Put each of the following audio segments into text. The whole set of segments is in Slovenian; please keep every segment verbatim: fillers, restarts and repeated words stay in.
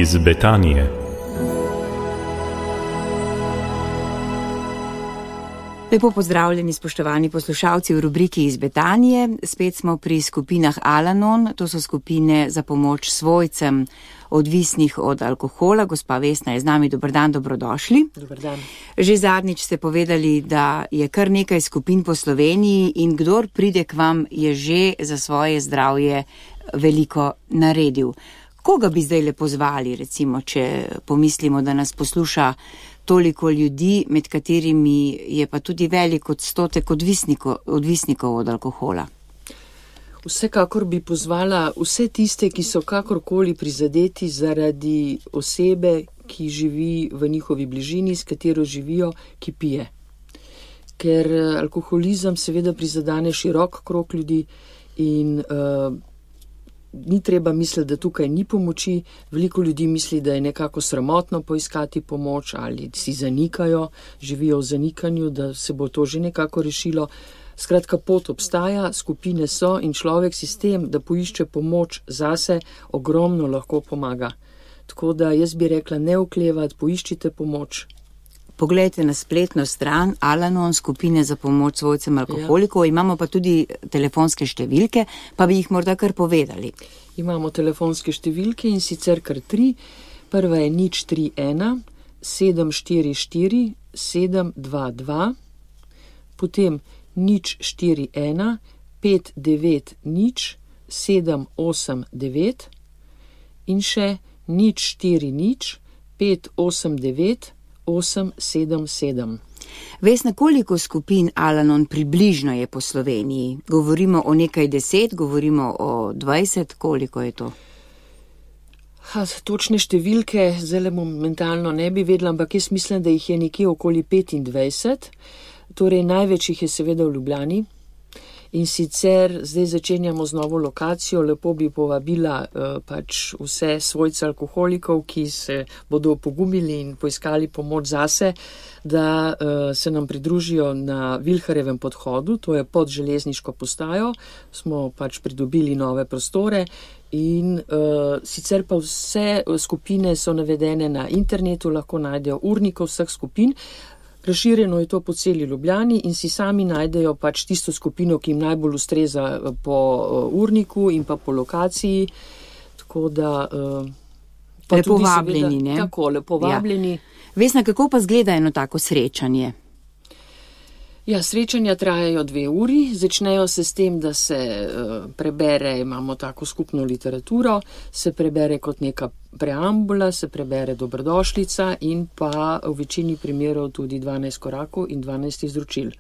iz Betanije. Lepo pozdravljeni, spoštovani poslušalci v rubriki iz Betanije. Spet smo pri skupinah Al-Anon, to so skupine za pomoč svojcem odvisnih od alkohola. Gospa Vesna je z nami, dober dan, dobrodošli. Dober dan. Že zadnjič ste povedali, da je kar nekaj skupin po Sloveniji in kdor pride k vam, je že za svoje zdravje veliko naredil. Koga bi zdaj le pozvali, recimo, če pomislimo, da nas posluša toliko ljudi, med katerimi je pa tudi velik odstotek odvisnikov, odvisnikov od alkohola? Vsekakor bi pozvala vse tiste, ki so kakorkoli prizadeti zaradi osebe, ki živi v njihovi bližini, s katero živijo, ki pije. Ker alkoholizem seveda prizadane širok krog ljudi in uh, ni treba misliti, da tukaj ni pomoči. Veliko ljudi misli, da je nekako sramotno poiskati pomoč ali si zanikajo, živijo v zanikanju, da se bo to že nekako rešilo. Skratka, pot obstaja, skupine so in človek sistem, da poišče pomoč zase, ogromno lahko pomaga. Tako da jaz bi rekla, ne oklevati, poiščite pomoč. Poglejte na spletno stran Al-Anon, skupine za pomoč svojcem alkoholikov. Ja. Imamo pa tudi telefonske številke, pa bi jih morda kar povedali. Imamo telefonske številke in sicer kar tri. Prva je nič tri ena sedem štiri štiri sedem dva dva, potem nič štiri ena pet devet nič sedem osem devet in še nič štiri nič pet osem devet osem sedem sedem. Vesna, koliko skupin Al-Anon približno je po Sloveniji? Govorimo o nekaj deset, govorimo o dvajset, koliko je to? Ha, točne številke zdaj momentalno ne bi vedela, ampak jaz mislim, da jih je nekje okoli petindvajset. Torej, največ jih je seveda v Ljubljani. In sicer zdaj začenjamo z novo lokacijo, lepo bi povabila uh, pač vse svojce alkoholikov, ki se bodo pogumili in poiskali pomoč zase, da uh, se nam pridružijo na Vilharjevem podhodu, to je pod železniško postajo, smo pač pridobili nove prostore in uh, sicer pa vse skupine so navedene na internetu, lahko najdejo urnikov vseh skupin. Razširjeno je to po celi Ljubljani in si sami najdejo pač tisto skupino, ki jim najbolj ustreza po urniku in pa po lokaciji. Tako da... Pa lepo vabljeni, ne? Tako, lepo vabljeni. Ja. Vesna, kako pa zgleda eno tako srečanje? Ja, srečanja trajajo dve uri, začnejo se s tem, da se uh, prebere, imamo tako skupno literaturo, se prebere kot neka preambula, se prebere dobrodošlica in pa v večini primerov tudi dvanajst korakov in dvanajst izročil.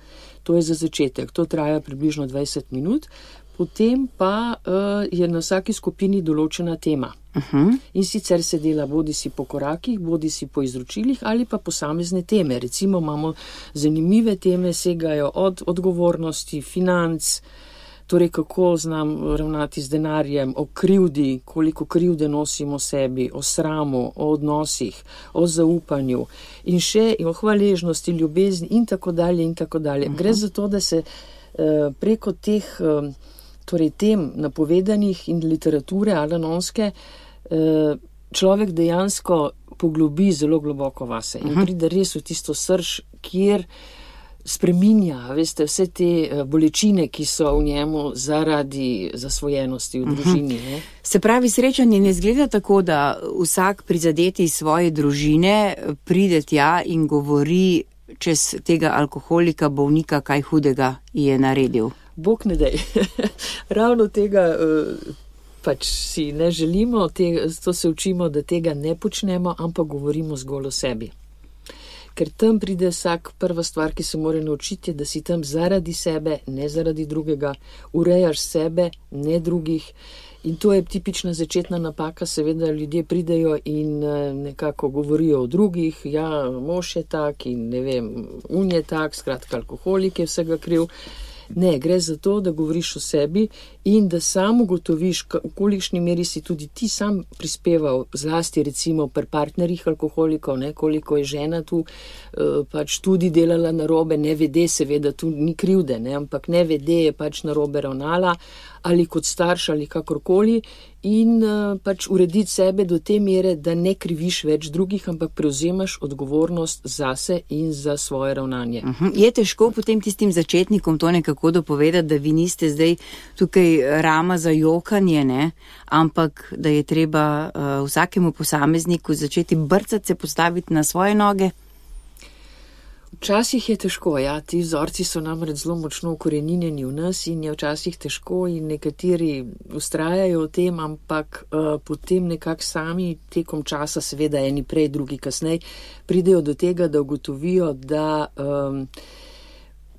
To je za začetek, to traja približno dvajset minut, potem pa uh, je na vsaki skupini določena tema. Uh-huh. In sicer se dela bodi si po korakih, bodi si po izročilih ali pa posamezne teme. Recimo imamo zanimive teme, segajo od odgovornosti, financ, torej kako znam ravnati z denarjem, o krivdi, koliko krivde nosimo sebi, o sramu, o odnosih, o zaupanju in še o hvaležnosti, ljubezni in tako dalje in tako dalje. Uh-huh. Gre za to, da se uh, preko teh uh, torej tem napovedanih in literature al-anonske človek dejansko poglobi zelo globoko vase in pride res v tisto srž, kjer spreminja, veste, vse te bolečine, ki so v njemu zaradi zasvojenosti v družini. Ne? Se pravi, srečanje ne izgleda tako, da vsak prizadeti iz svoje družine pride tja in govori čez tega alkoholika, bolnika, kaj hudega je naredil. Bog ne daj. Ravno tega pač si ne želimo, te, to se učimo, da tega ne počnemo, ampak govorimo zgolj o sebi. Ker tam pride vsak, prva stvar, ki se mora naučiti, je, da si tam zaradi sebe, ne zaradi drugega, urejaš sebe, ne drugih. In to je tipična začetna napaka, seveda ljudje pridejo in nekako govorijo o drugih, ja, mož je tak in ne vem, un je tak, skratka alkoholik je vsega kriv. Ne, gre za to, da govoriš o sebi in da sam ugotoviš, v kolikšni meri si tudi ti sam prispeval, zlasti recimo pri partnerjih alkoholikov, ne, koliko je žena tu pač tudi delala narobe, ne vede, seveda tu ni krivde, ne, ampak ne vede je pač narobe ravnala ali kot starš ali kakorkoli in uh, pač urediti sebe do te mere, da ne kriviš več drugih, ampak prevzemaš odgovornost zase in za svoje ravnanje. Uh-huh. Je težko potem tistim začetnikom to nekako dopovedati, da vi niste zdaj tukaj rama za jokanje, ne? Ampak da je treba uh, vsakemu posamezniku začeti brcati, se postaviti na svoje noge? Včasih je težko, ja, ti vzorci so namreč zelo močno ukoreninjeni v nas in je včasih težko in nekateri ustrajajo v tem, ampak uh, potem nekako sami tekom časa, seveda eni prej, drugi kasneje, pridejo do tega, da ugotovijo, da um,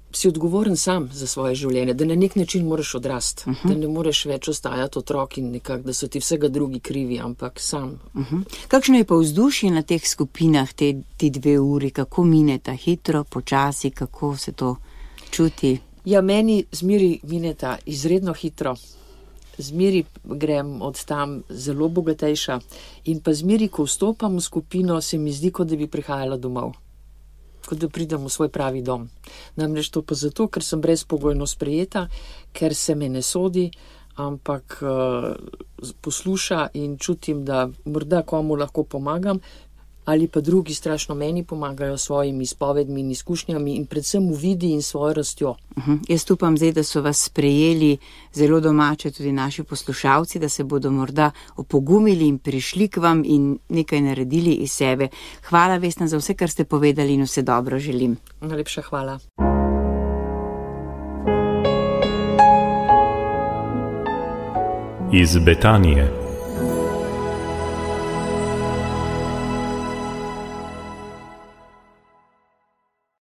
si odgovoren sam za svoje življenje, da na nek način moraš odrasti, uh-huh. da ne moreš več ostajati otrok in nekako, da so ti vsega drugi krivi, ampak sam. Uh-huh. Kakšno je pa vzdušje na teh skupinah, te, ti dve uri, kako mineta, hitro, počasi, kako se to čuti? Ja, meni zmeri mineta izredno hitro, zmeri grem od tam zelo bogatejša in pa zmeri, ko vstopam v skupino, se mi zdi, kot da bi prihajala domov. Kot da pridem v svoj pravi dom. Namreč to pa zato, ker sem brezpogojno sprejeta, ker se me ne sodi, ampak uh, posluša in čutim, da morda komu lahko pomagam, ali pa drugi strašno meni pomagajo s svojimi izpovedmi in izkušnjami in predvsem v vidi in svojo rastjo. Uh-huh. Jaz upam zdaj, da so vas sprejeli zelo domače tudi naši poslušalci, da se bodo morda opogumili in prišli k vam in nekaj naredili iz sebe. Hvala, Vesna, za vse, kar ste povedali in vse dobro želim. Najlepša hvala. Iz Betanije.